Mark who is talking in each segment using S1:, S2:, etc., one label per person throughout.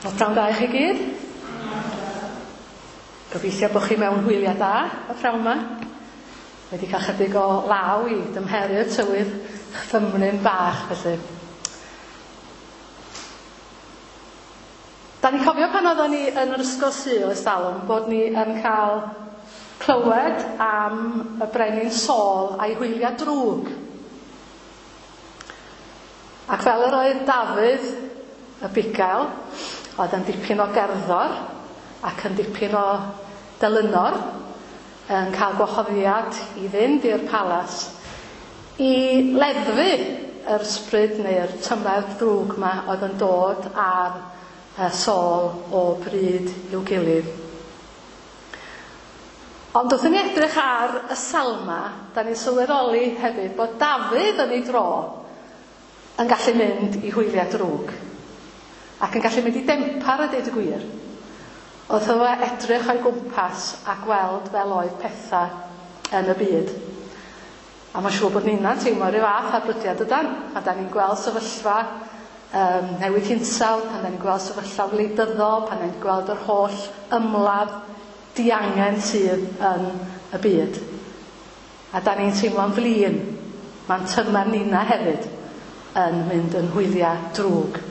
S1: Wel, prawn da i chi gyd. Gobeithio bod chi mewn hwyliau da y prawn yma. Wedi cael chydig o law i dymheru'r tywydd chfymryn bach, felly. Da ni'n cofio pan oeddwn ni yn yr ysgol Sul ers talwm bod ni yn cael clywed am y brenin Saul a'i hwyliau drwg. Ac fel yr oedd Dafydd y bugail, oedd yn dipyn o gerddor ac yn dipyn o delynor, yn cael gwahoddiad i fynd i'r palas i leddfu yr ysbryd neu'r tymer drwg 'ma oedd yn dod ar Saul o bryd i'w gilydd. Ond wrth i ni edrych ar y Salma, da ni'n sylweddoli hefyd bod Dafydd yn ei dro yn gallu mynd i hwyliau drwg. Ac yn gallu mynd i dempar a deud y gwir. Wrth iddo fe edrych o'i gwmpas a gweld fel oedd pethau yn y byd. A mae'n siŵr bod ninna'n teimlo rhyw fath ar brydiau dydan? Pan da ni'n gweld sefyllfa um, newid hinsawdd, pan da ni'n gweld sefyllfa wleidyddol, pan da ni'n gweld yr holl ymladd diangen sydd yn y byd. A da ni'n teimlo'n flin. Mae'n tymer ninna hefyd yn mynd yn hwyliau drwg.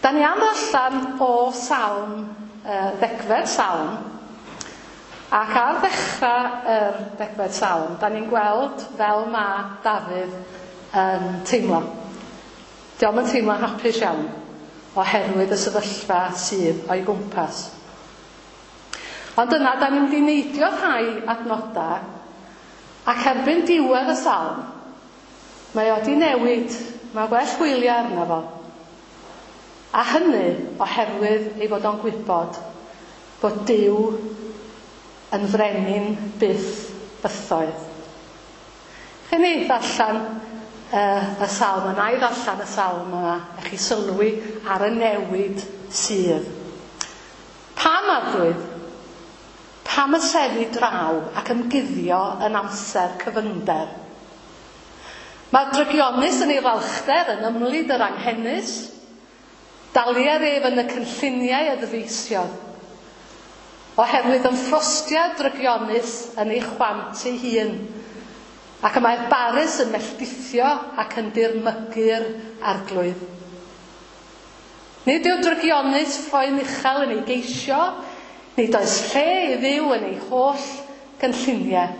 S1: Da ni am ddarllen o Salm, ddegfed Salm, ac ar ddechrau yr degfed Salm, da ni'n gweld fel mae Dafydd yn teimlo. Dio'm yn teimlo'n hapus iawn oherwydd y sefyllfa sydd o'i gwmpas. Ond yna, da ni'n mynd i neidio rhai adnodau, ac erbyn diwedd y salm, mae o di newid, mae well hwyliau arno fo. A hynny oherwydd ei fod o'n gwybod bod Duw yn frenin byth bythoedd. Chi ni ddarllen y salm yna, i ddarllen y salm yma, a chi sylwi ar y newid sydd. Pam, Arglwydd? Pam y sefi draw ac ymguddio yn amser cyfyngder? Mae'r drygionus yn ei falchder yn ymlid yr anghenus, Dalier ef yn y cynlluniau a ddyfeisiodd. Oherwydd ymffrostiad drygionus yn ei chwant ei hun, ac y mae'r barus yn melldithio ac yn dirmygu'r Arglwydd. Nid yw drygionus ffroen uchel yn ei geisio, nid oes lle i Dduw yn ei holl gynlluniau.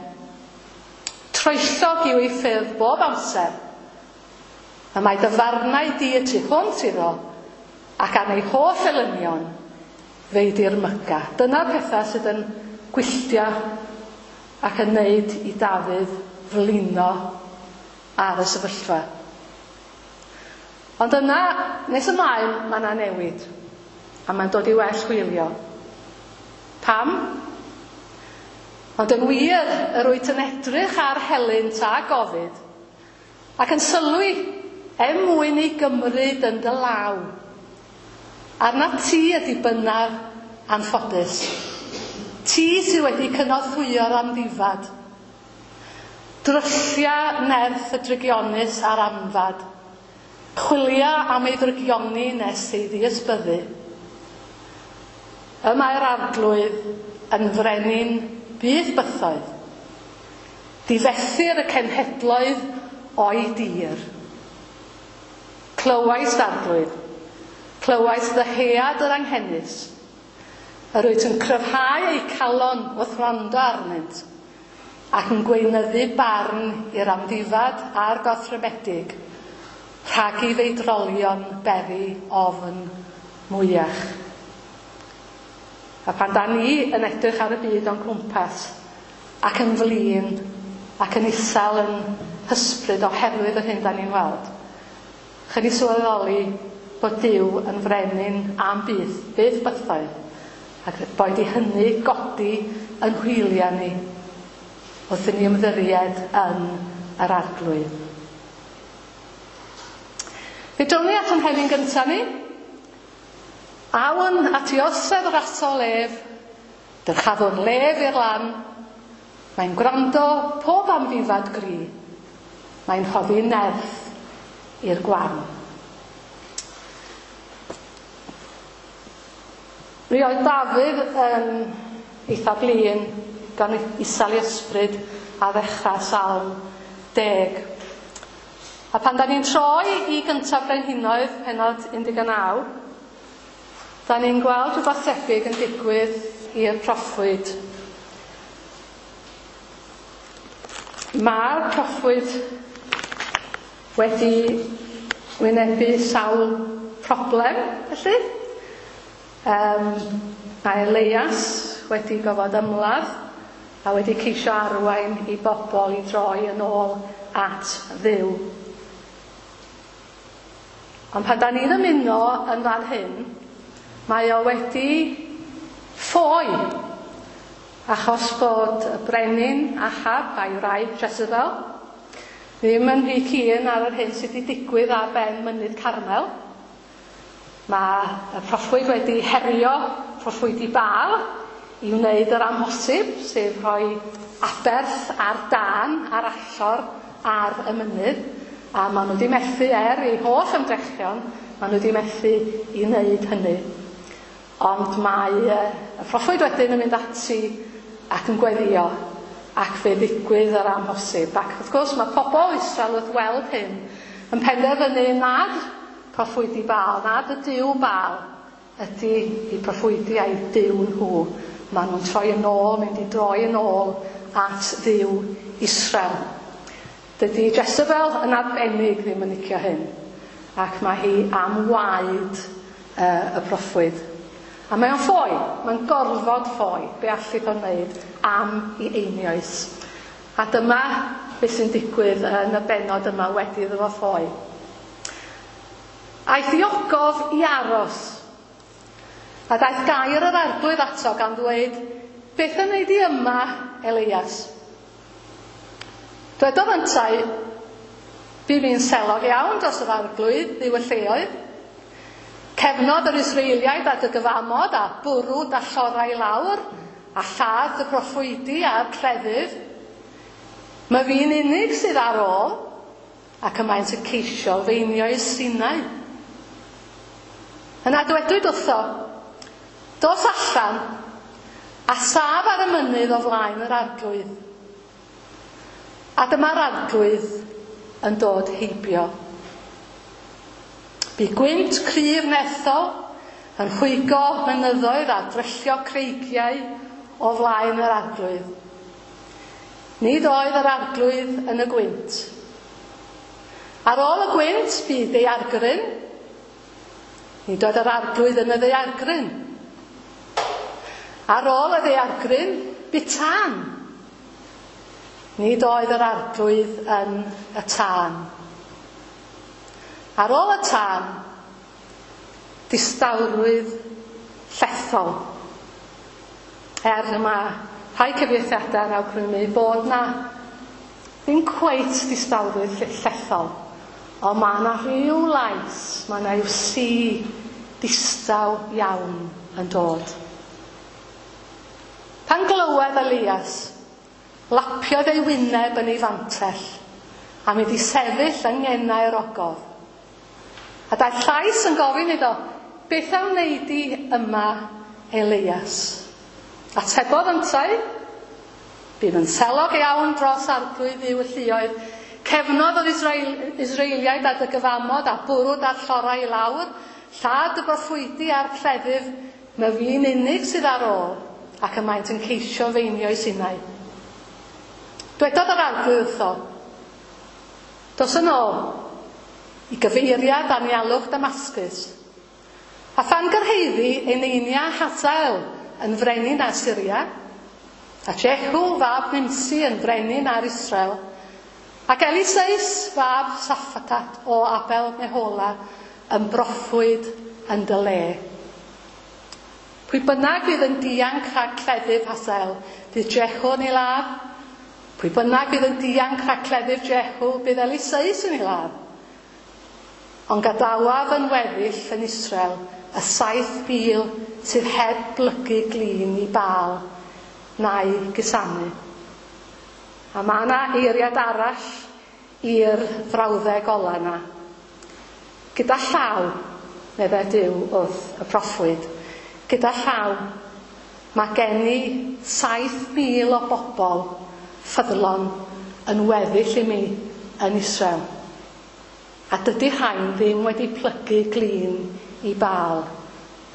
S1: Troellog yw ei ffyrdd bob amser, Y mae dy farnau di y tu hwnt iddo, ac am ei holl elynion, fe'i dirmyga. Dyna'r pethau sydd yn gwylltio ac yn neud i Dafydd flino ar y sefyllfa. Ond yna, nes ymlaen, mae yna newid, a mae'n dod i well hwylio. Pam? Ond yn wir, yr wyt yn edrych ar helynt a gofid, Ac yn sylwi, er mwyn ei gymryd yn dy law. Arnat ti y dibynnaf anffodus. Ti sydd wedi cynorthwyo'r amddifad. Dryllia nerth y drygionus a'r anfad. Chwilia am ei ddrygioni nes ei ddiysbyddu. Y mae'r Arglwydd yn frenin byth bythoedd. Difethir y cenhedloedd o'i dir. Clywais, Arglwydd, clywais ddyhead yr anghenus. Yr wyt yn cryfhau eu calon wrth wrando arnynt, ac yn gweinyddu barn i'r amddifad a'r gorthrymedig, rhag i feidrolion beri ofn mwyach. A pan da ni yn edrych ar y byd o'n cwmpas, ac yn flin, ac yn isel yn hysbryd oherwydd yr hyn da ni'n weld, chi ni sylweddoli bod Duw yn frenin am byth, byth bythoedd, ac boed i hynny godi yn hwyliau ni wrth i ni ymddiried yn yr Arglwydd. Fe down ni at yn heddi'n gyntaf ni. Awn at i orsedd rasol ef, Dyrchafwn lef i'r lan, Mae'n gwrando pob amddifad gry, Mae'n rhoddi nerth i'r gwan. Mi oedd Dafydd yn eitha blin gan isel ei ysbryd a ddechrau Salm 10. A pan da ni'n troi i Gyntaf Brenhinoedd, pennod 19, da ni'n gweld rhywbeth tebyg yn digwydd i'r proffwyd. Mae'r proffwyd wedi wynebu sawl problem, felly. Mae Eleias wedi gofod ymladd a wedi ceisio arwain i bobl i droi yn ôl at Dduw. Ond pan da ni'n ymuno yn fan hyn, mae o wedi ffoi achos bod y brenin Ahab a'i wraig Jezebel ddim yn rhy keen ar yr hyn sydd wedi digwydd ar ben mynydd Carmel. Mae y proffwyd wedi herio proffwydi Baal i wneud yr amhosib, sef rhoi aberth ar dân ar allor ar y mynydd, a maen nhw wedi methu er eu holl ymdrechion, maen nhw wedi methu i wneud hynny. Ond mae y proffwyd wedyn yn mynd ati ac yn gweddio, ac fe ddigwydd yr amhosib. Ac wrth gwrs mae pobl Israel wrth weld hyn yn penderfynu nad proffwydi Baal, nad y Duw Baal ydy eu proffwydi a'u Duw nhw. Maen nhw'n troi yn ôl, mynd i droi yn ôl at Dduw Israel. Dydy Jezebel yn arbennig ddim yn licio hyn, ac mae hi am waed y proffwyd. A mae o'n ffoi, mae'n gorfod ffoi, be allith o'n wneud am i einioes. A dyma beth sy'n digwydd yn y bennod yma wedi iddo fo ffoi. Aeth i ogof i aros. A daeth gair yr Arglwydd ato gan ddweud, Beth yn wneud i yma, Elias? Dwedodd yntau, Bu fi'n selog iawn dros yr Arglwydd, Dduw y lleoedd. Cefnodd yr Israeliaid ar dy gyfamod a bwrw dallorau i lawr, a lladd dy broffwydi a'r cleddyf. Mae fi'n unig sydd ar ôl, ac y maent yn ceisio feinio'u sinau. Yna dwedwyd wrtho, Dos allan, a saf ar y mynydd o flaen yr Arglwydd. A dyma'r Arglwydd yn dod heibio. Bu gwynt cryf nerthol yn rhwygo mynyddoedd a dryllio creigiau o flaen yr Arglwydd. Nid oedd yr Arglwydd yn y gwynt. Ar ôl y gwynt bu daeargryn. Nid oedd yr Arglwydd yn y ddaeargryn. Ar ôl y ddaeargryn bu tân. Nid oedd yr Arglwydd yn y tân. Ar ôl y tân, distawrwydd llethol. Er mae rhai cyfieithiadau yn awgrymu bod na ddim cweit distawrwydd llethol, ond mae yna rhyw lais, mae yna rhyw si distaw iawn yn dod. Pan glywed Elias, lapiodd ei wyneb yn ei fantell a mynd i sefyll yng ngenau'r ogof. A daeth llais yn gofyn iddo, Beth a wnei di yma, Elias? Atebodd yntau, Bydd yn selog iawn dros Arglwydd Dduw y lluoedd. Cefnodd yr Israel, Israeliaid ar dy gyfamod a bwrw da'r llorau i lawr, llad dy broffwydi a'r cleddyf, myfi'n unig sydd ar ôl, ac y maent yn ceisio feinio'i sinau. Dwedodd yr Arglwydd wrtho, Dos yn ôl i gyfeiriad anialwch Damascus, a phan gyrhaeddi eneinia Hazael yn frenin ar Syria, a Jehu fab Nimsi yn frenin ar Israel, ac Eliseus fab Saffatat o Abel Mehola yn broffwyd yn dy le. Pwy bynnag fydd yn dianc rhag cleddyf Hazael, bydd Jehu yn ei ladd. Pwy bynnag fydd yn dianc rhag cleddyf Jehu, bydd Eliseus yn ei ladd. Ond gadawaf yn weddill yn Israel y 7,000 sydd heb blygu glin i Baal na'i gusanu. A mae yna eiriad arall i'r frawddeg ola yna. Gyda llaw, meddai Duw wrth y proffwyd, Gyda llaw, mae gen i 7,000 o bobl ffyddlon yn weddill i mi yn Israel. A dydy rhain ddim wedi plygu glin i Baal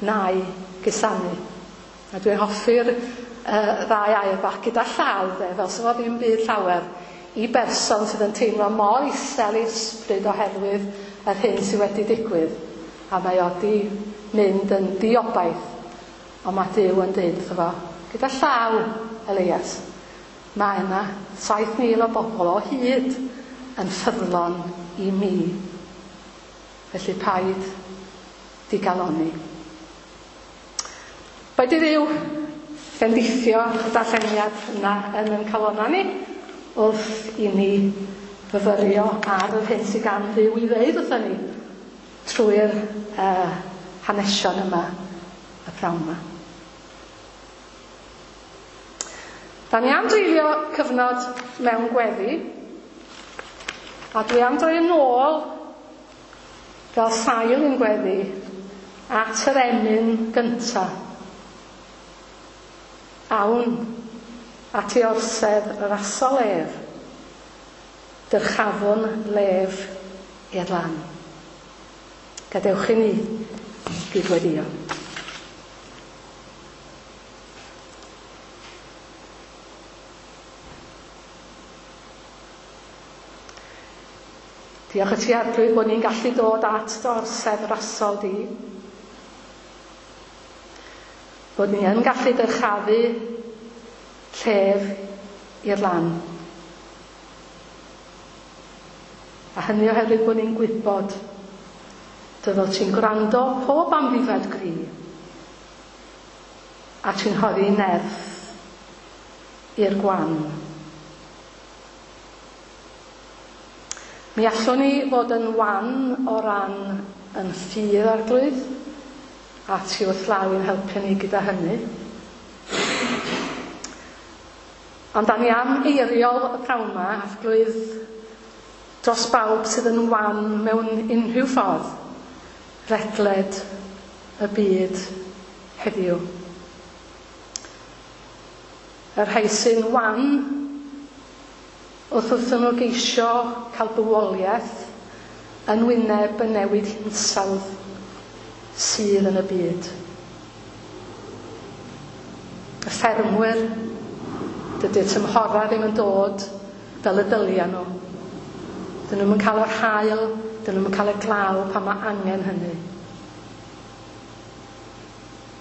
S1: na'i gusanu. A dwi'n hoffi'r ddau air bach gyda llaw, de, fel sy'n fo ddim byd llawer i berson sydd yn teimlo mor isel ei ysbryd oherwydd yr hyn sydd wedi digwydd. A mae o di mynd yn diobaith, ond mae Duw yn dweud wrtho fo, gyda llaw, Elias, mae yna 7,000 o bobl o hyd yn ffyddlon i mi. Felly paid digalonni. Boed i Dduw bendithio y darlleniad yna yn ein calonnau ni wrth i ni fyfyrio ar yr hyn sydd gan Dduw i ddeud wrthon ni trwy'r hanesion yma y pnawn yma. Da ni am dreulio cyfnod mewn gweddi, a dwi am droi yn ôl fel sail i'n gweddi at yr emyn gynta. Awn at ei orsedd rasol ef, dyrchafwn lef i'r lan. Gadewch i ni gydweddio. Diolch i ti Arglwydd bod ni'n gallu dod at dy orsedd rasol di. Bod ni yn gallu dyrchafu llef i'r lan. A hynny oherwydd bod ni'n gwybod dy fod ti'n gwrando pob amddifad gri a ti'n rhoddi nerth i'r gwan. Mi allwn ni fod yn wan o ran yn ffydd Arglwydd, a ti wrth law i'n helpu ni gyda hynny. Ond da ni am eiriol y prawn yma, Arglwydd, dros bawb sydd yn wan mewn unrhyw ffordd, ledled y byd heddiw. Y rhai sy'n wan wrth wrthyn nhw geisio cael bywoliaeth yn wyneb y newid hinsawdd sydd yn y byd. Y ffermwyr, dydy'r tymhorau ddim yn dod fel y dylia nhw. Dyn nhw'm yn cael yr haul, dyn nhw'm yn cael y glaw pan mae angen hynny.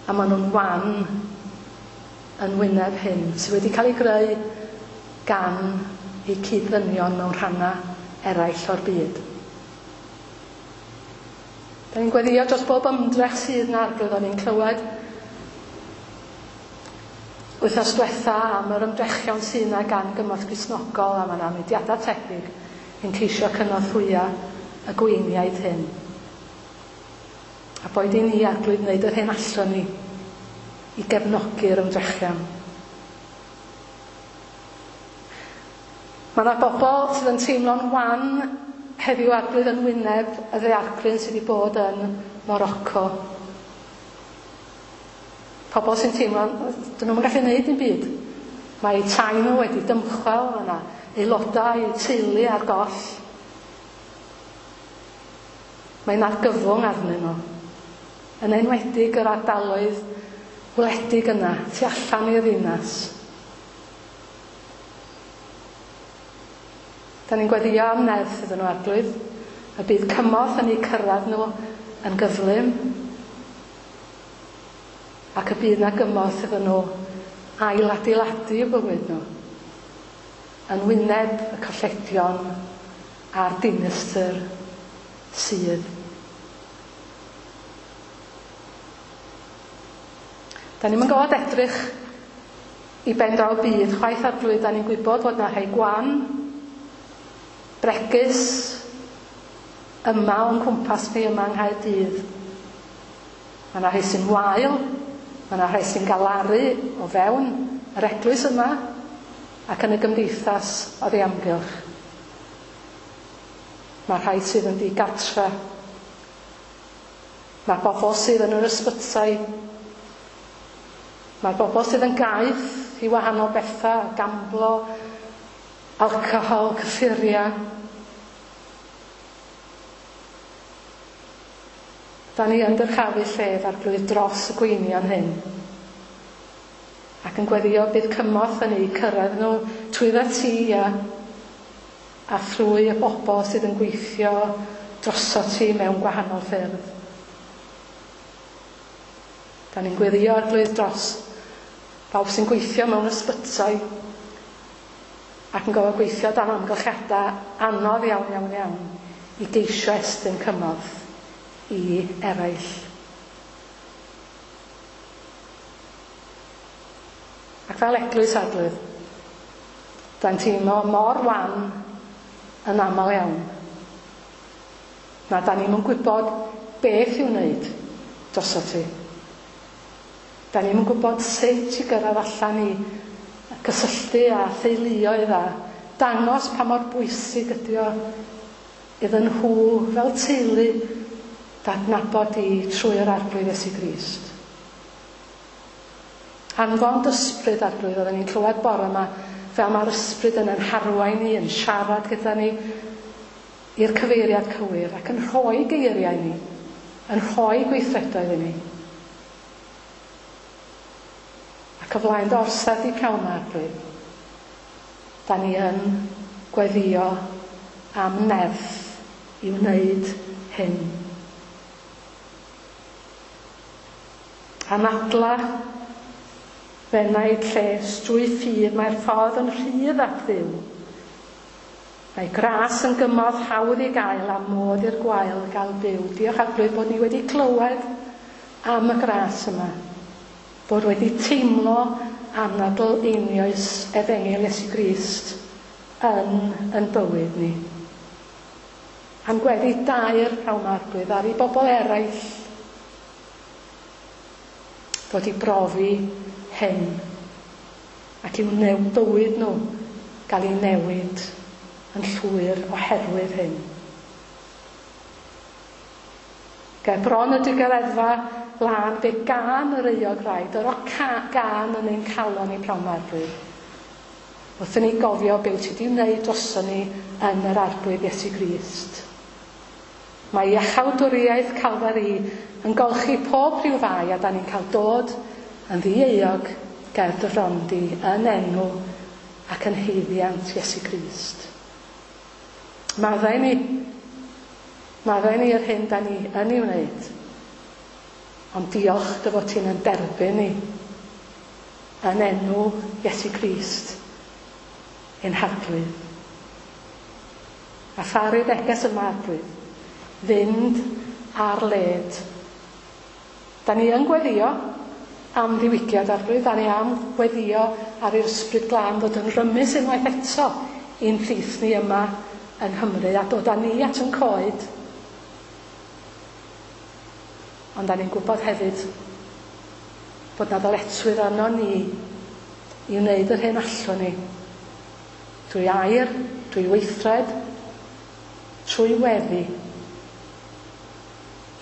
S1: A maen nhw'n wan yn wyneb hyn sydd wedi cael ei greu gan eu cyd-ddynion mewn rhannau eraill o'r byd. Da ni'n gweddio dros bob ymdrech sydd 'na, Arglwydd. O'n i'n clywed wythnos diwetha am yr ymdrechion sydd 'na gan Gymorth Gristnogol, a mae 'na mudiadau tebyg yn ceisio cynorthwyo y gweiniaid hyn. A boed i ni, Arglwydd, wneud yr hyn allwn ni i gefnogi'r ymdrechion. Mae yna bobl sydd yn teimlo'n wan heddiw, Arglwydd, yn wyneb y ddaeargryn sydd wedi bod yn Morocco. Pobl sy'n teimlo, dyn nhw'n gallu gwneud dim byd. Mae eu tai nhw wedi dymchwel, mae yna aelodau, eu teulu ar goll. Mae'n argyfwng arnyn nhw. Yn enwedig yr ardaloedd wledig yna, tu allan i'r ddinas. Da ni'n gweddio am nerth iddyn nhw, Arglwydd, y bydd cymorth yn eu cyrraedd nhw yn gyflym, ac y bydd na gymorth iddyn nhw ailadeiladu eu bywyd nhw yn wyneb y colledion a'r dinistr sydd. Da ni'm yn gorfod edrych i ben draw byd chwaith, Arglwydd, da ni'n gwybod fod na rhai gwan, bregus, yma o'n cwmpas ni yma yng Nghaerdydd. Mae yna rhai sy'n wael, mae yna rhai sy'n galaru o fewn yr eglwys yma ac yn y gymdeithas oddi amgylch. Mae rhai sydd yn ddigartre. Mae bobl sydd yn yr ysbytai. Mae'r bobl sydd yn gaeth i wahanol bethau, gamblo, alcohol, cyffuriau. Da ni yn dyrchafu llef Arglwydd dros y gweinion hyn. Ac yn gweddio bydd cymorth yn eu cyrraedd nhw trwydda ti a thrwy y bobl sydd yn gweithio drosot ti mewn gwahanol ffyrdd. Da ni'n gweddio Arglwydd dros bawb sy'n gweithio mewn ysbytai ac yn gofod gweithio dan amgylchiadau anodd iawn, iawn, iawn i geisio estyn cymorth i eraill. Ac fel eglwys Arglwydd, da'n teimlo mor wan yn aml iawn. Na da ni'm yn gwybod beth i'w wneud drosot ti. Da ni'm yn gwybod sut i gyrraedd allan i gysylltu â theuluoedd a dangos pa mor bwysig ydy o iddyn nhw fel teulu d'adnabod di trwy'r Arglwydd Iesu Grist. Anfon d'ysbryd, Arglwydd, oedden ni'n clywed bore yma fel mae'r ysbryd yn ein harwain ni, yn siarad gyda ni i'r cyfeiriad cywir ac yn rhoi geiriau ni, yn rhoi gweithredoedd i ni. Ac o flaen dy orsedd di pnawn 'ma, Arglwydd, da ni yn gweddio am nerth i wneud hyn. Anadla f'enaid lles drwy ffydd, mae'r ffordd yn rhydd at Dduw. Mae gras yn gymorth hawdd i gael a modd i'r gwael gael byw. Diolch Arglwydd bod ni wedi clywed am y gras yma. Bod wedi teimlo anadl einioes Efengyl Iesu Grist yn yn bywyd ni. A'n gweddi daer pnawn 'ma Arglwydd ar i bobl eraill ddod i brofi hyn ac i'w new bywyd nhw gael ei newid yn llwyr oherwydd hyn. Ger bron y digareddfa lân fe gân yr euog rai, dyro gân yn ein calon ni pnawn 'ma, Arglwydd. Wrth i ni gofio be wyt ti 'di wneud droson ni yn yr Arglwydd Iesu Grist. Mae iachawdwriaeth Calfari yn golchi pob rhyw fai a 'dan ni'n cael dod yn ddi-euog ger dy fron di yn enw ac yn haeddiant Iesu Grist. Maddau ni. Maddau ni yr hyn 'dan ni yn ei wneud. Ond diolch dy fod ti'n yn derbyn ni yn enw Iesu Grist ein Harglwydd. A pharu neges yma, Arglwydd, fynd ar led. Da ni yn gweddio am ddiwygiad, Arglwydd, da ni am gweddio ar i'r Ysbryd Glân ddod yn rymus unwaith eto i'n plith ni yma yng Nghymru a dod â ni at yn coed. Ond da ni'n gwybod hefyd bod 'na ddyletswydd arno ni i wneud yr hyn allwn ni, drwy air, drwy weithred, trwy weddi,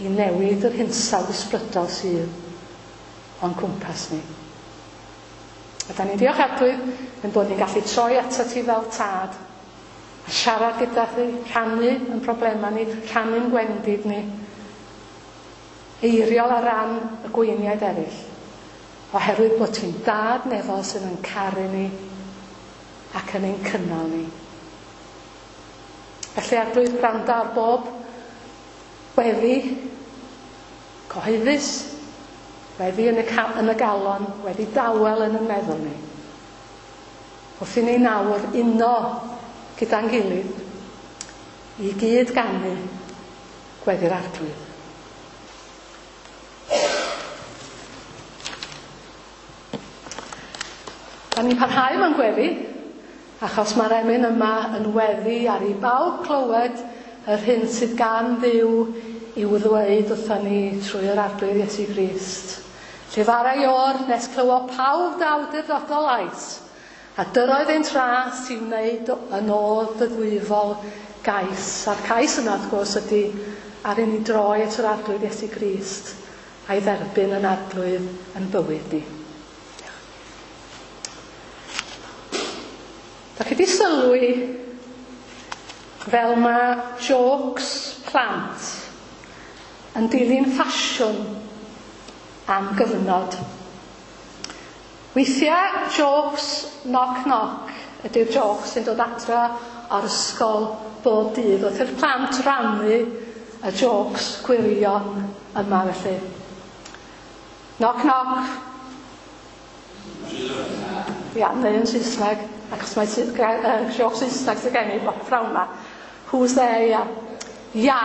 S1: i newid yr hinsawdd ysbrydol sydd o'n cwmpas ni. A da ni'n diolch Arglwydd ein bod ni'n gallu troi atat ti fel tad a siarad gyda thi, rhannu yn problemau ni, rhannu'n gwendid ni, eiriol ar ran y gweiniaid eraill, oherwydd bod ti'n dad nefol sydd yn caru ni ac yn ein cynnal ni. Felly Arglwydd, gwrando ar bob weddi cyhoeddus, weddi yn y, yn y galon, weddi dawel yn y meddwl ni. Wrth i ni nawr uno gyda'n gilydd i gyd ganu gweddi'r Arglwydd. Da ni'n parhau mewn gweddi, achos mae'r emyn yma yn weddi ar i bawb clywed yr hyn sydd gan Dduw i'w ddweud wrthon ni trwy yr Arglwydd Iesu Grist. Llefara i o'r nes clywo pawb dy awdurdodol lais, a dyroedd ein tras i wneud yn ôl dy ddwyfol gais. A'r cais yna, wrth gwrs, ydy ar i ni droi at yr Arglwydd Iesu Grist a'i dderbyn yn Arglwydd yn bywyd ni. wedi sylwi fel mae jokes plant yn dilyn ffasiwn am gyfnod? Weithiau jokes knock knock ydy'r jokes sy'n dod adra o'r ysgol bob dydd wrth i'r plant rannu y jokes gwirion yma felly. Knock knock. Ia, neu yn Saesneg, achos mae joke Saesneg sydd gen i pnawn 'ma. Who's there, ia? Ia.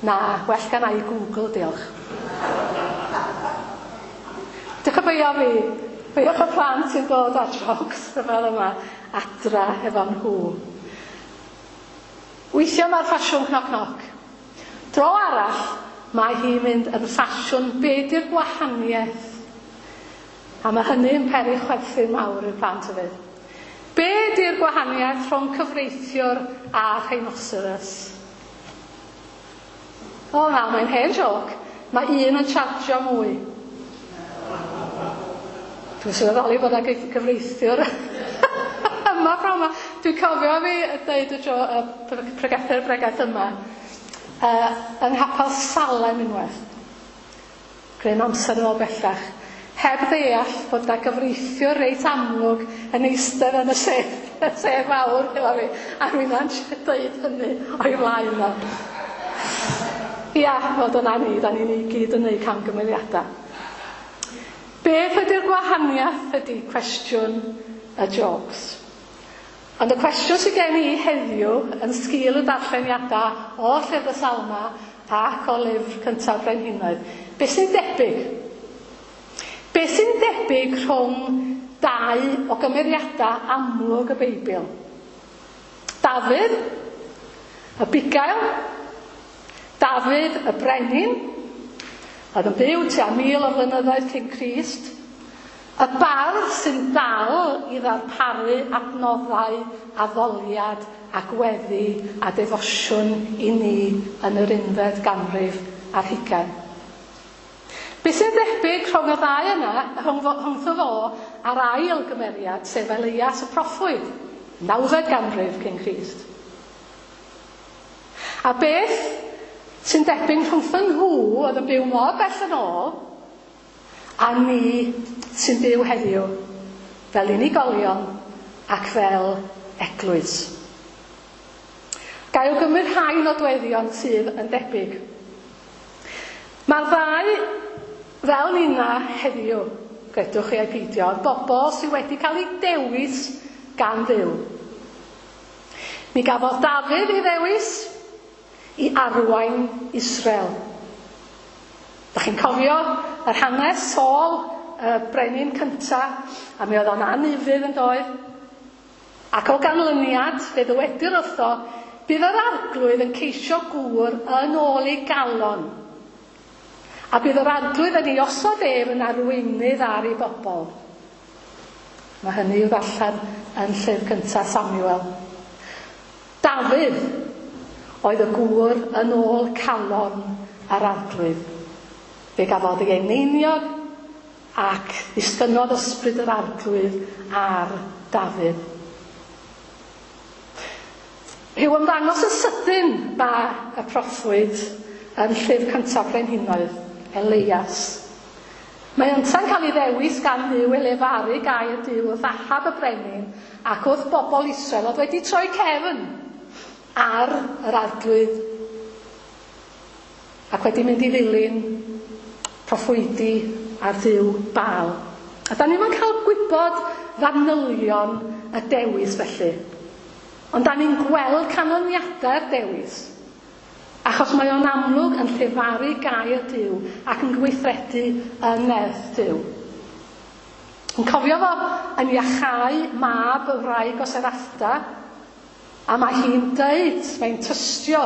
S1: Na, well gan i Google, diolch. Diolch yn beio fi. Beiwch y plant sy'n dod â jokes fel yma adra efo nhw. Weithiau mae'r ffasiwn knock knock. Dro arall, mae hi'n mynd yn ffasiwn be di'r gwahaniaeth. A mae hynny yn peri chwerthin mawr i'r plant hefyd. Be di'r gwahaniaeth rhwng cyfreithiwr a rhinoceros? O na, mae'n hen joc. Mae un yn chargio mwy. Dwi'n sylweddoli bod yna gyfreithiwr yma pnawn yma. Dwi'n cofio fi dweud y jo, y pregethu'r bregaeth yma yng Nghapel Salem unwaith. Gryn amser yn ôl bellach. Heb ddeall bod yna gyfreithiwr reit amlwg yn eistedd yn y sedd, y sedd fawr efo fi, a rwy'n dweud hynny o'i flaen o. Ia, fod yna ni, da ni'n i gyd yn neud camgymeriadau. Beth ydy'r gwahaniaeth ydy cwestiwn y jokes. Ond y cwestiwn sydd gen i heddiw yn sgil y darlleniadau o Llyfr y Salma ac o lyfr cyntaf Brenhinoedd, beth sy'n debyg? Beth sy'n debyg rhwng dau o gymeriadau amlwg y Beibl? Dafydd, y bugail, Dafydd y brenin, oedd yn byw tua 1000 o flynyddoedd cyn Crist, y bardd sy'n dal i ddarparu adnoddau, addoliad a gweddi a defosiwn i ni yn yr unfed ganrif ar hugain. Be sy'n debyg rhwng y ddau yna, rhwngtho fo a'r ail gymeriad, sef Elias y proffwyd, nawfed ganrif cyn Crist. A beth sy'n debyg rhwngtho nhw oedd yn byw mor bell yn ôl, a ni sy'n byw heddiw fel unigolion ac fel eglwys. Ga i awgrymu rhai nodweddion sydd yn debyg. Mae'r ddau fel nina heddiw, gredwch chi ai peidio, bobl sydd wedi cael eu dewis gan Dduw. Mi gafodd Dafydd ei ddewis i arwain Israel. Da chi'n cofio yr hanes Saul, y brenin cynta, a mi oedd o'n anufudd yn doedd. Ac o ganlyniad, fe ddywedir wrtho, bydd yr arglwydd yn ceisio gŵr yn ôl ei galon. A bydd yr arglwydd yn ei osod ef yn arweinydd ar ei bobl. Mae hynny i'w ddarllen yn llyfr cyntaf Samuel. Dafydd oedd y gŵr yn ôl calon yr arglwydd. Fe gafodd ei eneiniog ac ddisgynnodd ysbryd yr arglwydd ar Dafydd. Rhyw ymddangos yn sydyn mae y proffwyd yn llyfr cyntaf Brenhinoedd, Elias. Mae ynta'n cael ei ddewis gan Dduw i lefaru gair Duw wrth Ahab y brenin ac wrth bobl Israel oedd wedi troi cefn ar yr arglwydd ac wedi mynd i ddilyn proffwydi ar Dduw Baal. A da ni'm yn cael gwybod fanylion y dewis felly. Ond da ni'n gweld canlyniadau'r dewis. Achos mae o'n amlwg yn llefaru gair Duw ac yn gweithredu yn nerth Duw. Yn cofio fo yn iachau mab y wraig o Seraphta, a mae hi'n deud, mae'n tystio,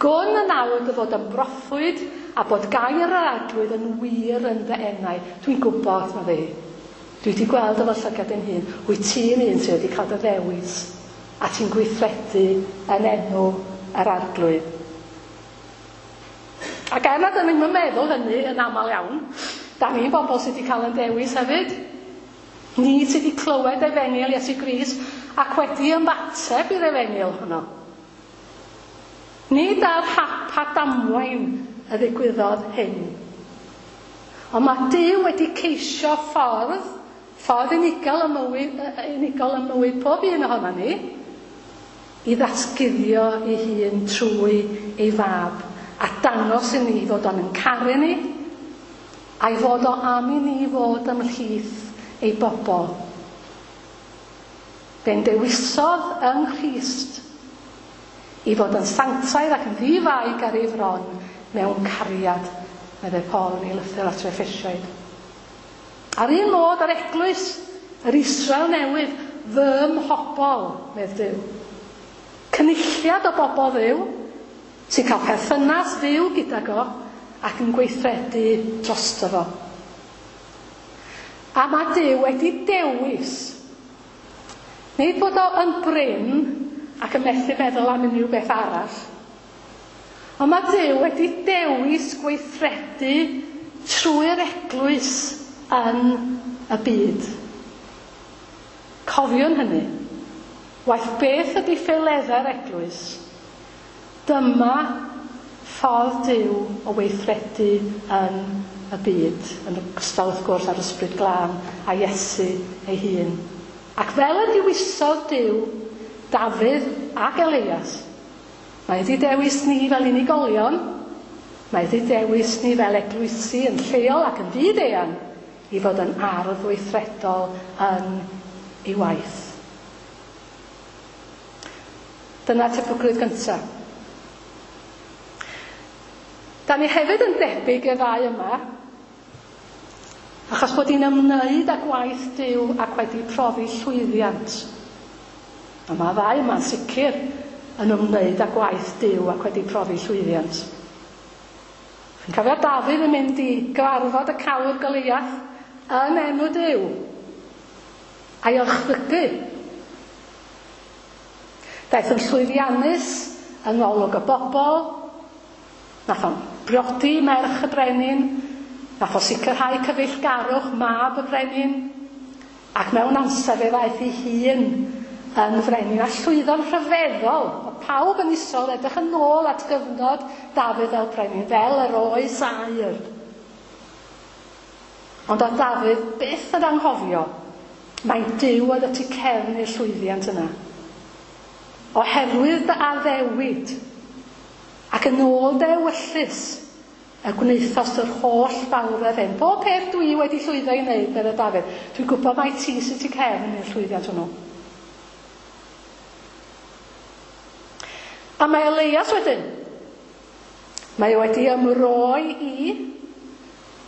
S1: gwn yn awr dy fod yn broffwyd a bod gair yr arglwydd yn wir yn dy enau. Dwi'n gwybod, mae fi. Dwi wedi gweld efo llygad yn hun. Wyt ti'n un sydd wedi cael dy ddewis a ti'n gweithredu yn enw yr arglwydd. Ac er nad ydyn ni'n meddwl hynny yn aml iawn, da ni'n bobl sydd wedi cael yn dewis hefyd. Ni sydd wedi clywed efengyl Iesu Grist ac wedi ymateb i'r efengyl honno. Nid ar hap a damwain y ddigwyddodd hyn. Ond mae Duw wedi ceisio ffordd, ffordd unigol ym mywyd, unigol ym mywyd pob un ohono ni, i ddatguddio ei hun trwy ei fab a dangos i ni fod o'n yn caru ni a'i fod o am i ni fod ymhlith ei bobl. Fe'n dewisodd yng Nghrist i fod yn sanctaidd ac yn ddi-fai ar ei fron mewn cariad, meddai Paul yn ei lythyr at yr Effesiaid. A'r un modd ar eglwys yr Israel newydd, fy mhobol, medd Duw. Cynulliad o bobl Dduw sy'n cael perthynas fyw gydag o ac yn gweithredu drosto fo. A mae Duw wedi dewis. Nid bod o yn brin ac yn methu meddwl am unrhyw beth arall. Ond mae Duw wedi dewis gweithredu trwy'r eglwys yn y byd. Cofiwn hynny. Waeth beth ydy ffeileddau'r eglwys, dyma ffordd Duw o weithredu yn y byd, yn ogystal wrth gwrs â'r Ysbryd Glân a Iesu ei hun. Ac fel y dewisodd Duw Dafydd ac Elias, mae wedi dewis ni fel unigolion, mae wedi dewis ni fel eglwysi yn lleol ac yn fyd-eang i fod yn ardd weithredol yn ei waith. Dyna tebygrwydd gyntaf. Da ni hefyd yn debyg i'r ddau yma, achos bod ni'n ymwneud â gwaith Duw ac wedi profi llwyddiant. A mae ddau yma'n sicr yn ymwneud â gwaith Duw ac wedi profi llwyddiant. Chi'n cofio Dafydd yn mynd i gyfarfod y cawr Goliath yn enw Duw a'i orchfygu. Daeth yn llwyddiannus yng ngolwg y bobl, nath o'n briodi merch y brenin, nath o sicrhau cyfeillgarwch mab y brenin, ac mewn amser fe ddaeth ei hun yn frenin a llwyddo'n rhyfeddol. Mae pawb yn Israel edrych yn ôl at gyfnod Dafydd fel brenin, fel yr oes aur. Ond oedd Dafydd byth yn anghofio mai Duw oedd y tu cefn i'r llwyddiant yna. Oherwydd dy addewid ac yn ôl dy ewyllys y gwnaethost yr holl fawredd hyn. Pob peth dwi wedi llwyddo i wneud, meddai Dafydd, dwi'n gwybod mai ti sydd tu cefn i'r llwyddiant hwnnw. A mae Elias wedyn. Mae o wedi ymroi i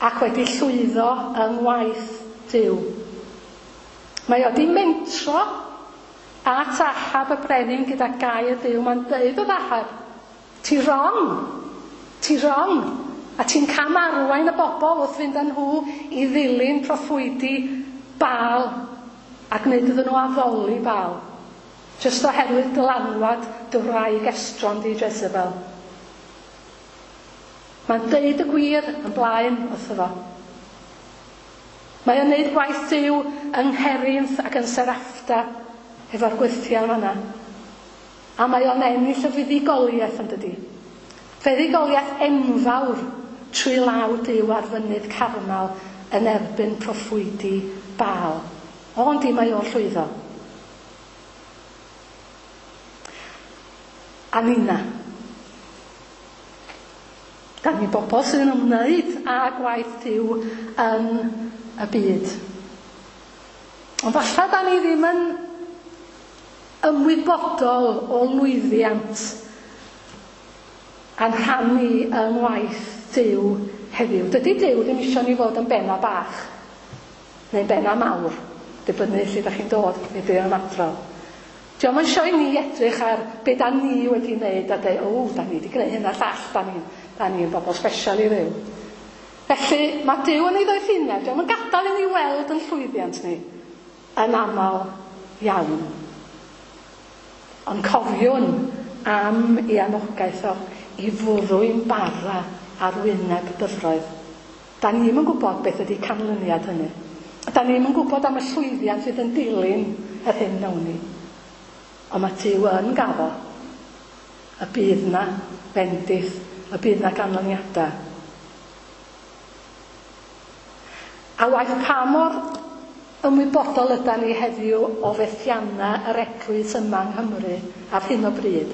S1: ac wedi llwyddo yng ngwaith Duw. Mae o wedi mentro at Ahab y brenin gyda gair Duw. Mae'n deud wrth Ahab, ti wrong, ti wrong, a ti'n cam arwain y bobl wrth fynd â nhw i ddilyn proffwydi Baal a gwneud iddyn nhw addoli Baal, jyst oherwydd dylanwad dy wraig estron di Jezebel. Mae'n deud y gwir yn blaen wrtho fo. Mae o'n neud gwaith Duw yng Ngherynth ac yn Seraphta efo'r gwyrthiau fanna. A mae o'n ennill y fuddugoliaeth yn dydi. Fuddugoliaeth enfawr trwy law Duw ar fynydd Carmel yn erbyn proffwydi Baal. Ond di mae o'n llwyddo. A nina. Da ni bobl sydd yn ymwneud â gwaith Duw yn y byd. Ond falle da ni ddim yn ymwybodol o lwyddiant a'n rhan ni yng ngwaith Duw heddiw. Dydy Duw ddim eisiau ni fod yn benna bach neu'n benna mawr, dibynnu lle da chi'n dod neu be o'n adrodd. Dio'm yn eisiau i ni edrych ar be da ni wedi wneud a dweud, o, da ni wedi gwneud hyn a llall, da ni'n da ni bobl special i Dduw. Felly, mae Duw yn ei ddoethineb, dio'm yn gadael i ni weld yn llwyddiant ni yn aml iawn. Ond cofiwn am ei anogaeth o i fwrw'n bara ar wyneb dyfroedd. Da ni ddim yn gwybod beth ydy canlyniad hynny. A da ni'm yn gwybod am y llwyddiant fydd yn dilyn yr hyn wnawn ni. Ond mae Duw yn gaddo y bydd 'na fendith, y bydd 'na ganlyniadau. A waeth pa mor ymwybodol ydan ni heddiw o fethiannau yr eglwys yma yng Nghymru ar hyn o bryd,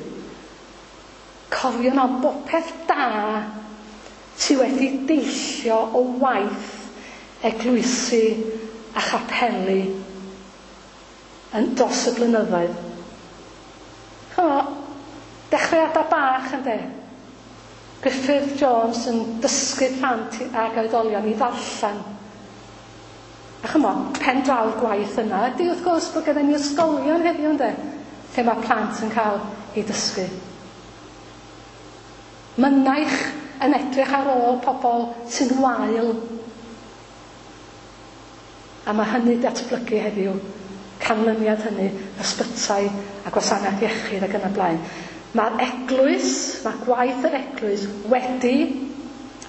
S1: cofiwn am bopeth da sy wedi deillio o waith eglwysi a chapeli yn dros y blynyddoedd. Ch'mo', dechreuadau bach ynde? Griffith Jones yn dysgu plant ag oedolion i ddarllen. A ch'mo', pen draw'r gwaith yna ydy wrth gwrs bod gennym ni ysgolion heddiw ynde, lle mae plant yn cael eu dysgu. Mynaich yn edrych ar ôl pobl sy'n wael. A mae hynny datblygu heddiw, canlyniad hynny, ysbytai a gwasanaeth iechyd ac yn y blaen. Mae'r eglwys, mae gwaith yr eglwys wedi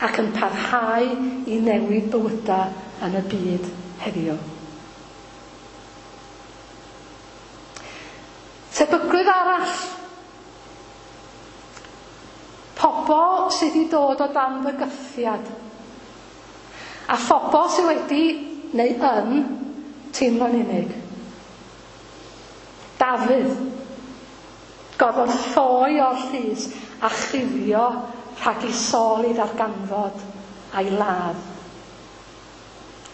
S1: ac yn parhau i newid bywydau yn y byd heddiw. Tebygrwydd arall. Pobl sydd wedi dod o dan fygythiad. A phobl sydd wedi, neu yn, teimlo'n unig. Dafydd. Gorfod ffoi o'r llys a chuddio rhag i Saul ei ddarganfod a'i ladd.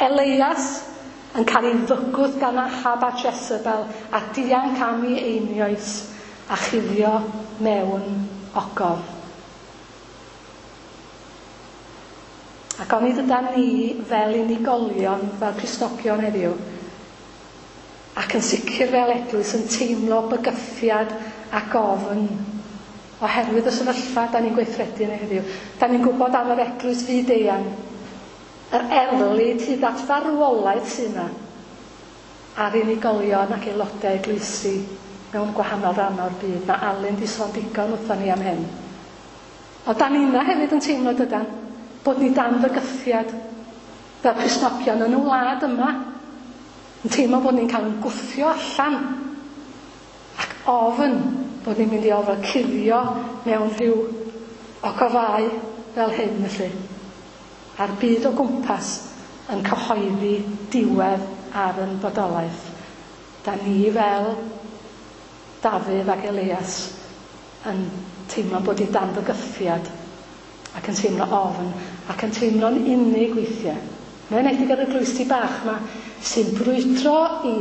S1: Eleias yn cael ei fygwth gan Ahab a Jezebel a dianc am ei einioes a chuddio mewn ogof. Ac onid ydan ni fel unigolion, fel Cristnogion heddiw, ac yn sicr fel eglwys yn teimlo bygythiad ac ofn oherwydd y sefyllfa da ni'n gweithredu yn ei heddiw. Da ni'n gwybod am yr eglwys fyd-eang, yr erlid hyd at farwolaeth sydd yna ar unigolion ac aelodau eglwysi mewn gwahanol rannau o'r byd. Mae Alun 'di sôn digon wrthon ni am hyn. Ond da ni'na hefyd yn teimlo, dydan, bod ni dan fygythiad fel Cristnogion yn y wlad yma, yn teimlo bod ni'n cael yn gwthio allan ac ofn bod ni'n mynd i orfod cuddio mewn rhyw ogofâu fel hyn felly. A'r byd o gwmpas yn cyhoeddi diwedd ar yn bodolaeth. Da ni fel Dafydd ac Elias yn teimlo bod ni dan fygythiad ac yn teimlo ofn ac yn teimlo'n unig weithiau. Yn enwedig yr eglwysi bach 'ma sy'n brwydro i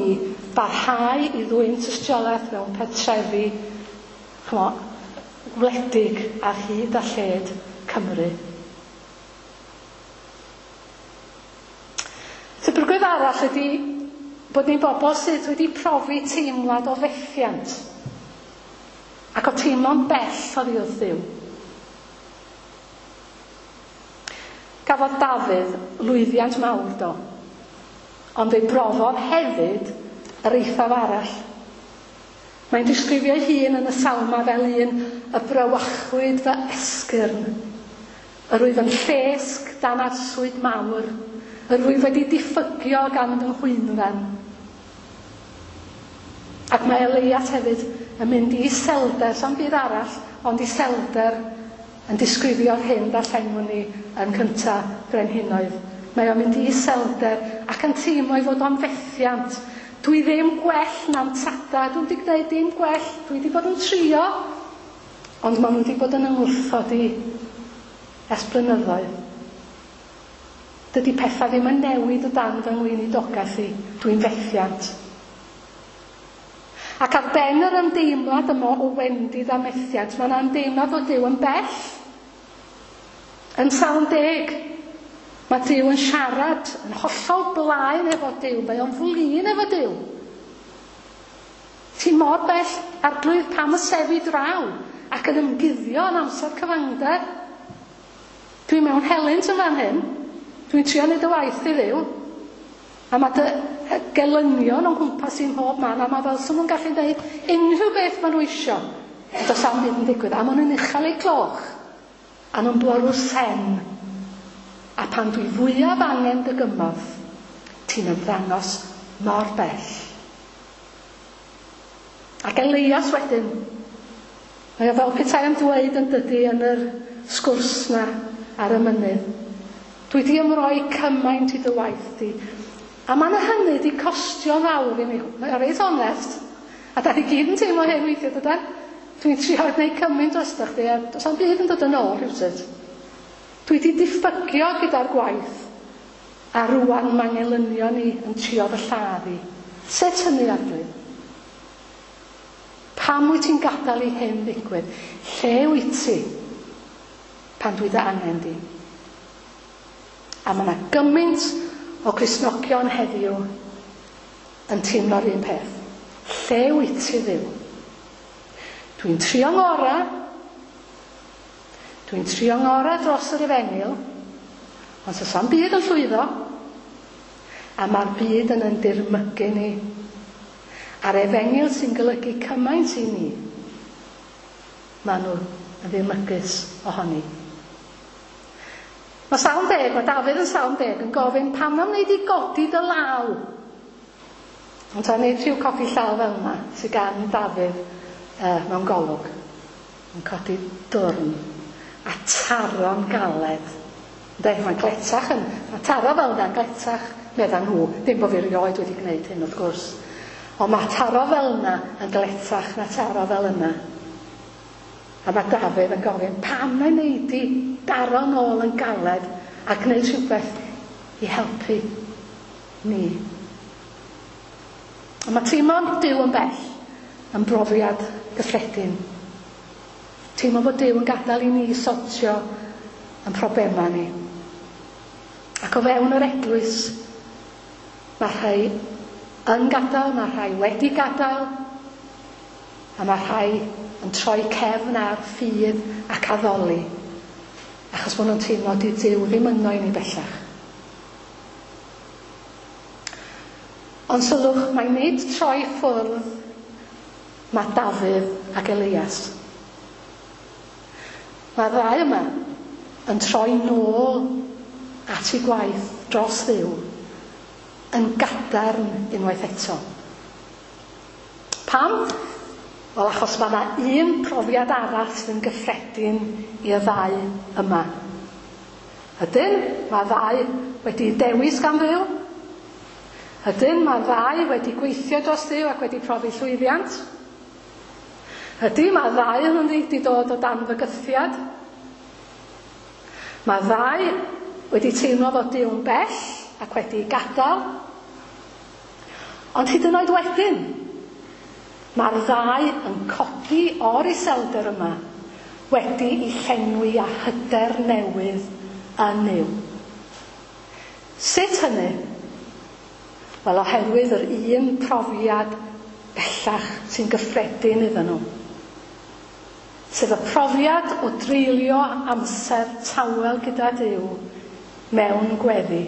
S1: barhau i ddwyn tystiolaeth mewn pentrefi ch'mo' gwledig ar hyd a lled Cymru. Tebygrwydd arall ydy bod ni'n bobl sydd wedi profi teimlad o fethiant ac o teimlo'n bell oddi wrth Dduw. Cafodd Dafydd lwyddiant mawr do, ond fe brofodd hefyd yr eithaf arall. Mae'n disgrifio'i hun yn y Salmau fel un y brawychwyd fy esgyrn. Yr wyf yn llesg dan arswyd mawr, yr wyf wedi diffygio gan fy nghwynfen. Ac mae Eleias hefyd yn mynd i iselder, sa'm byd arall ond iselder, yn disgrifio'r hyn ddarllenwn ni yn cynta Brenhinoedd. Mae o'n mynd i iselder ac yn teimlo ei fod o'n fethiant. Dwi ddim gwell na'n tada, dwi'm 'di gwneud dim gwell, dwi 'di bod yn trio, ond maen nhw 'di bod yn 'y ngwrthod i ers blynyddoedd. Dydy pethau ddim yn newid o dan fy ngweinidogaeth i, dwi'n fethiant. Ac ar ben yr ymdeimlad yma o wendid a methiant, mae yna ymdeimlad fod Duw yn bell. Yn Salm 10, mae Duw yn siarad yn hollol blaen efo Duw, mae o'n flin efo Duw. Ti mor bell, Arglwydd, pam y sefi draw ac yn ymguddio yn amser cyfangder? Dwi mewn helynt yn fan hyn. Dwi'n trio neud y waith i Dduw. A mae dy gelynion o'n nghwmpas i mhob man, a mae fel 'sa nhw'n gallu neud unrhyw beth maen nhw isio. A does 'am byd yn digwydd. A maen nhw'n uchel eu cloch. A nhw'n bwrw sen. A pan dwi fwyaf angen dy gymorth, ti Ti'n ymddangos mor bell. Ac Elias wedyn, mae o fel petai am dweud yn dydy yn yr sgwrs na ar y mynydd. Dwi di ymroi cymaint i dy waith di. A mae yna hynny di costio fawr i mi. Mae o reit onest. A da ni gyd yn teimlo hyn weithiau, dydan? Dwi'n trio gwneud cymaint drostoch chdi, a does na'm byd yn dod yn ôl rhywsut. Dwi di diffygio gyda'r gwaith, a rwan mae ngelynion i yn trio fy lladd i. Sut hynny, Arglwydd? Pam wyt ti'n gadael i hyn ddigwydd? Lle wyt ti pan dwi dy angen di? A mae yna gymaint o Gristnogion heddiw yn teimlo'r un peth. Lle wyt ti, Dduw? Dwi'n trio ngora. Dwi'n trio ngora dros yr efengyl, ond does na'm byd yn llwyddo. A mae'r byd yn yn dirmygu ni. A'r efengyl sy'n golygu cymaint i ni, maen nhw yn ddirmygus ohoni. Mae Salm 10, mae Dafydd yn Salm 10 yn gofyn pam am wneud i godi dy law? Ond ta wneud rhyw codi llaw fel yna sydd gan Dafydd mewn golwg. Yn codi dwrn a taro'n galed. Ynde, mae'n gletach yn, mae taro fel yna'n gletach, medda nhw. Ddim bod fi erioed wedi gwneud hyn wrth gwrs. Ond mae taro fel yna yn gletach na taro fel yna. A mae Dafydd yn gofyn, pam na wneud di daro nôl yn galed a gwneud rhywbeth i helpu ni? A mae teimlo Duw yn bell yn brofiad gyffredin. Teimlo bod Duw yn gadael i ni sortio yn problemau ni. Ac o fewn yr eglwys, mae rhai yn gadael, mae rhai wedi gadael, a mae rhai yn troi cefn ar ffydd ac addoli, achos bod nhw'n teimlo di Duw ddim yno i ni bellach. Ond sylwch, mae nid troi ffwrdd mae Dafydd ac Elias. Mae'r ddau yma yn troi nôl at eu gwaith dros Dduw yn gadarn unwaith eto. Pam? Wel, achos mae yna un profiad arall sydd yn gyffredin i'r ddau yma. Ydyn, mae'r ddau wedi dewis gan Dduw. Ydyn, mae'r ddau wedi gweithio dros Dduw ac wedi profi llwyddiant. Ydy, mae'r ddau yn wedi dod o dan fygythiad. Mae'r ddau wedi teimlo fod Duw'n bell ac wedi gadael. Ond hyd yn oed wedyn, mae'r ddau yn codi o'r iselder yma wedi i llenwi â hyder newydd yn Nuw. Sut hynny? Wel, oherwydd yr un profiad bellach sy'n gyffredin iddyn nhw. Sef y profiad o dreulio amser tawel gyda Duw mewn gweddi.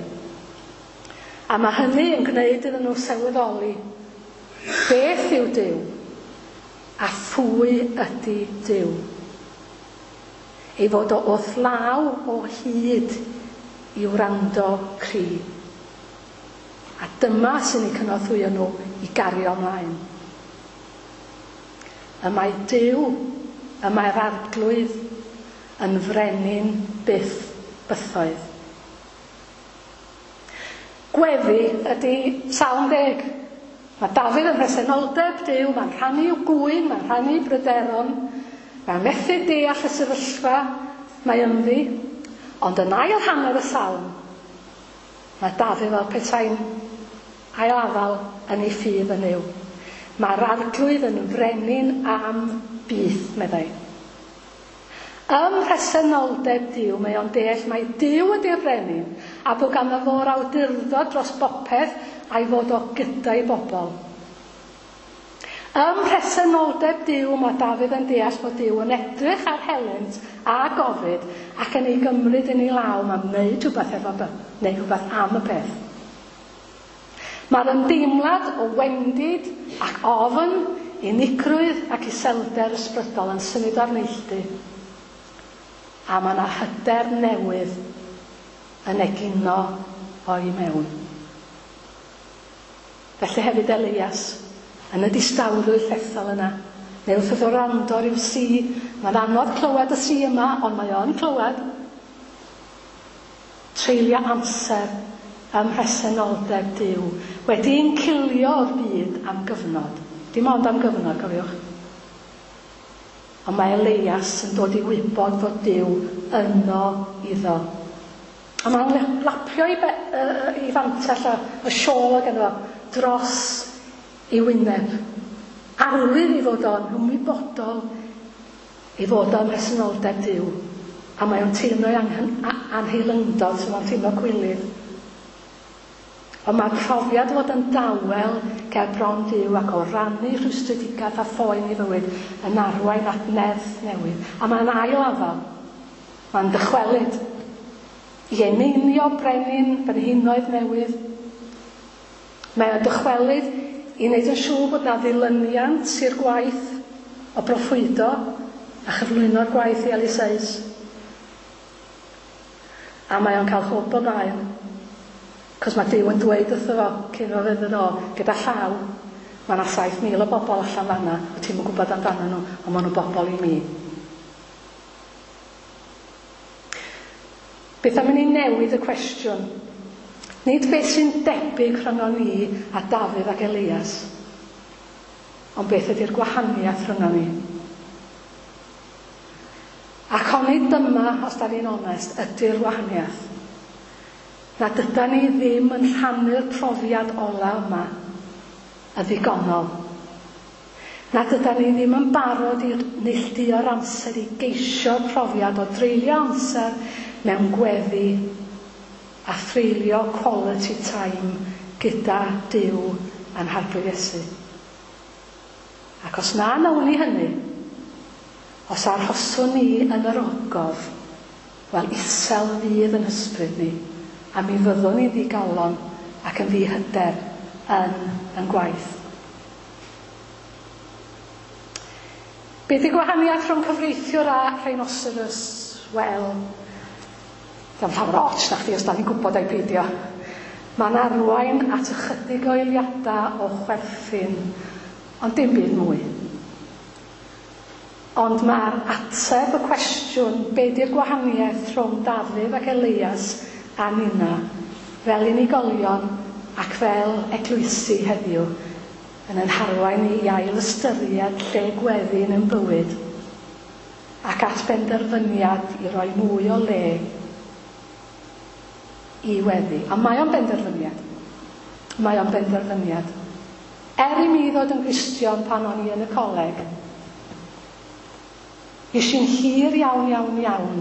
S1: A mae hynny yn gwneud iddyn nhw sylweddoli beth yw Duw a phwy ydy Duw. Ei fod o wrth law o hyd i wrando cri. A dyma sy'n eu cynorthwyo nhw i gario ymlaen. Y mae Duw, y mae'r Arglwydd yn frenin byth bythoedd. Gweddi ydy Salm 10. Mae Dafydd yn mhresenoldeb Duw, mae'n rhannu i'w gŵyn, mae'n rhannu i'w bryderon, mae'n methu deall y sefyllfa mae ynddi, ond yn ail hanner y salm, mae Dafydd fel petai'n ailafal yn ei ffydd yn Nuw. Mae'r Arglwydd yn frenin am byth, meddai. Ym mhresenoldeb Duw, mae o'n deall mai Duw ydy'r brenin, a bod ganddo fo'r awdurdod dros bopeth a'i fod o gyda'i bobl. Ym mhresenoldeb Duw, mae Dafydd yn deall bod Duw yn edrych ar helynt a gofid ac yn ei gymryd yn ei law, mae'n wneud rhywbeth efo neu rhywbeth am y peth. Mae'r ymdeimlad o wendid ac ofn, unigrwydd ac iselder ysbrydol yn symud o'r neilltu. A mae yna hyder newydd yn egino o'i mewn. Felly hefyd Elias, yn y distawrwydd llethol yna, neu wrth iddo wrando ryw si, mae'n anodd clywed y si yma, ond mae o'n clywed. Treulio amser ym mhresenoldeb Duw, wedi encilio o'r byd am gyfnod. Dim ond am gyfnod, cofiwch. Ond mae Elias yn dod i wybod fod Duw yno iddo. A mae'n lapio ei, be, ei fantell a y siôl oedd ganddo fo dros ei wyneb. Arwydd ei fod o'n ymwybodol ei fod o'n mhresenoldeb Duw. A mae o'n teimlo ei anheilyngdod, so mae'n teimlo gwilydd. Ond mae'r profiad o fod yn dawel ger bron Duw ac o rannu rhwystredigaeth a phoen ei fywyd yn arwain at nerth newydd. A mae'n ail afal. Mae'n dychwelyd i eneinio brenin brenhinoedd newydd. Mae o'n dychwelyd i wneud yn siŵr bod 'na ddilyniant i'r gwaith o broffwydo a chyflwyno'r gwaith i Eliseus. A mae o'n cael hwb o gael. Cos mae Duw yn dweud wrtho fo cyn iddo fo fynd yn ôl, gyda llaw, mae 'na 7,000 o bobl allan fan'na, wyt ti'm yn gwybod amdanyn nhw, ond maen nhw'n bobl i mi. Beth am i ni newid y cwestiwn? Nid beth sy'n debyg rhyngon ni a Dafydd ac Elias, ond beth ydy'r gwahaniaeth rhyngon ni? Ac onid dyma, os da ni'n onest, ydy'r wahaniaeth? Nad ydan ni ddim yn rhannu'r profiad ola yma yn ddigonol. Nad ydan ni ddim yn barod i neilltuo'r amser i geisio'r profiad o dreulio amser mewn gweddi a threulio quality time gyda Duw a'n Harglwydd Iesu. Ac os na wnawn ni hynny, os arhoswn ni yn yr ogof, wel, isel fydd yn hysbryd ni, a mi fyddwn ni'n ddigalon ac yn ddihyder yn yn gwaith. Be 'di gwahaniaeth rhwng cyfreithiwr a rhinoceros? Wel, diom llawer o ots na chdi os da ni'n gwybod ai peidio. Mae'n arwain at ychydig o eiliadau o chwerthin, ond dim byd mwy. Ond mae'r ateb y cwestiwn be 'di'r gwahaniaeth rhwng Dafydd ac Elias a ninna, fel unigolion ac fel eglwysi heddiw, yn ein harwain ni i ail ystyried lle gweddi yn ein bywyd ac at benderfyniad i roi mwy o le i weddi. A mae o'n benderfyniad. Mae o'n benderfyniad. Er i mi ddod yn Gristion pan o'n i yn y coleg, fues i'n hir iawn, iawn, iawn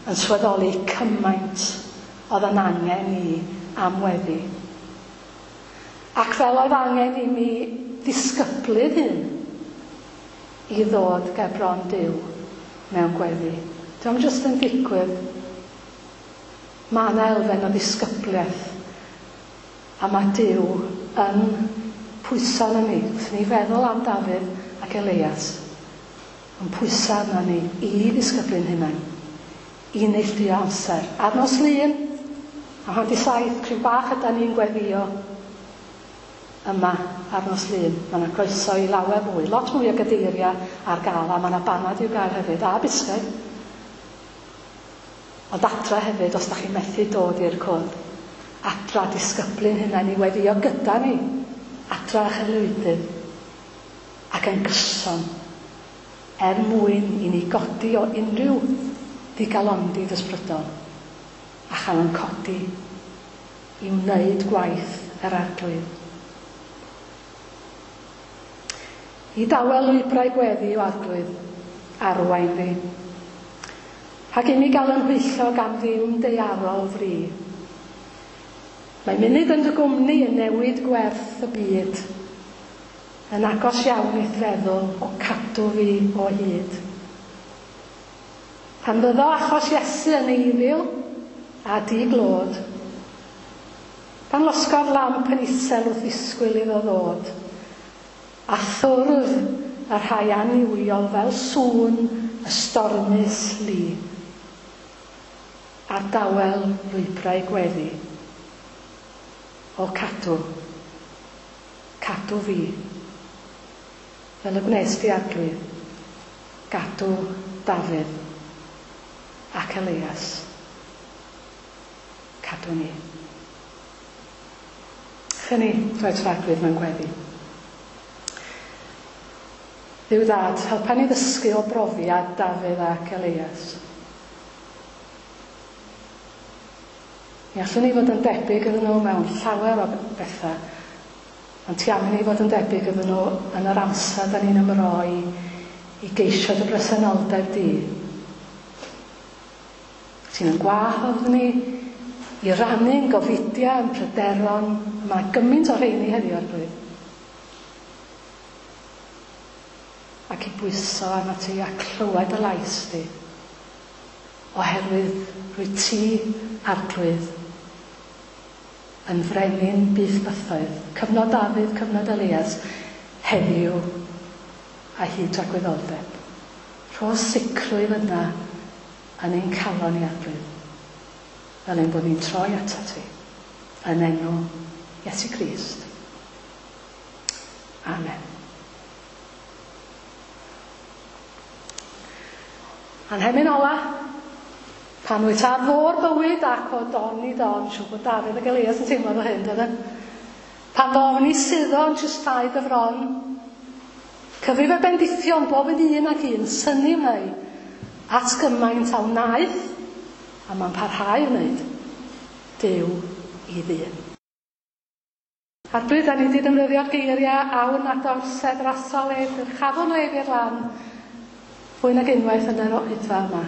S1: yn sylweddoli cymaint oedd yn angen i am weddi. Ac fel oedd angen i mi ddisgyblu'n hun i ddod ger bron Duw mewn gweddi. Dio'm jyst yn digwydd. Mae yna elfen o ddisgybliaeth a mae Duw yn pwyso arnon ni. Wrth i ni feddwl am Dafydd ac Elias, yn pwyso arnon ni i ddisgyblu'n hunain, i neilltuo amser. Ar nos Lun, am 6:30, cryn bach ydan ni'n gweddïo yma ar nos Lun. Mae yna groeso i lawer mwy, lot mwy o gadeiriau ar gael, a mae yna banad i'w gael hefyd, a bisged. Ond adra hefyd, os da chi'n methu dod i'r cwrdd, adra disgyblu'n hunain i weddïo gyda ni, adra a'ch aelwydydd, ac yn gyson, er mwyn i ni godi o unrhyw ddigalondid ysbrydol, a chael yn codi i wneud gwaith yr Arglwydd. I dawel lwybrau gweddi o Arglwydd, arwain fi. Rhag imi gael yn nhwyllo gan ddim daearol fri. Mae munud yn dy gwmni yn newid gwerth y byd. Yn agos iawn i'th feddwl o cadw fi o hyd. Pan fyddo achos Iesu yn eiddil a di-glod, pan losgodd lamp yn isel wrth ddisgwyl iddo ddod, A thwrf y rhai annuwiol fel sŵn y stormus lu, Ar dawel lwybrau gweddi, o cadw Cadw fi. Fel y gwnes di Arglwydd, gadw Dafydd ac Elias. Cadw ni. Chyn ni droi at Arglwydd mewn gweddi. Dduw Dad, helpa ni ddysgu o brofiad Dafydd ac Elias. Mi allwn ni fod yn debyg iddyn nhw mewn llawer o bethau, ond ti am i ni fod yn debyg iddyn nhw yn yr amser da ni'n ymroi i geisio dy bresenoldeb di. Ti'n yn gwahodd ni i rannu'n gofidiau, yn pryderon, mae gymaint o rheini heddiw Arglwydd. Ac i bwyso arnat ti a clywed y lais di. Oherwydd rwyt ti, Arglwydd, yn frenin byth bythoedd, cyfnod Dafydd, cyfnod Elias, heddiw a hyd tragwyddoldeb. Rho sicrwydd yna yn ein calon ni, Arglwydd, fel ein bod ni'n troi atat ti, yn enw Iesu Grist. Amen. A'n hemyn ola, pan wyt ar fôr bywyd ac o don i don, siŵr bod Dafydd ac Elias yn teimlo fel hyn, doedden? Pan ddofn i suddo yn tristau dy fron, cyfrif y bendithion bob yn un ac un, synnu wnei at gymaint a wnaeth, a mae'n parhau i wneud, Duw i ddyn. Arglwydd, da ni wedi defnyddio'r geiriau awn at orsedd rasol ef, dyrchafwn ef i'r lan, fwy nag unwaith yn yr oedfa yma.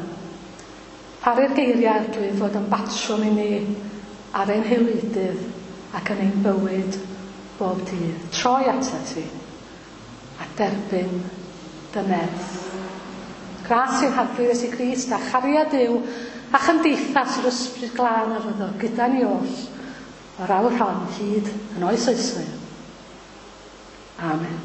S1: Paru'r geiriau, Arglwydd, fod yn batrwm i ni ar ein haelwydydd ac yn ein bywyd bob dydd. Troi atat ti a derbyn dy nerth. Gras i'n Harglwydd Iesu Grist a chariad Duw a chymdeithas yr Ysbryd Glân a fyddo gyda ni oll o'r awr hon hyd yn oes oesoedd. Amen.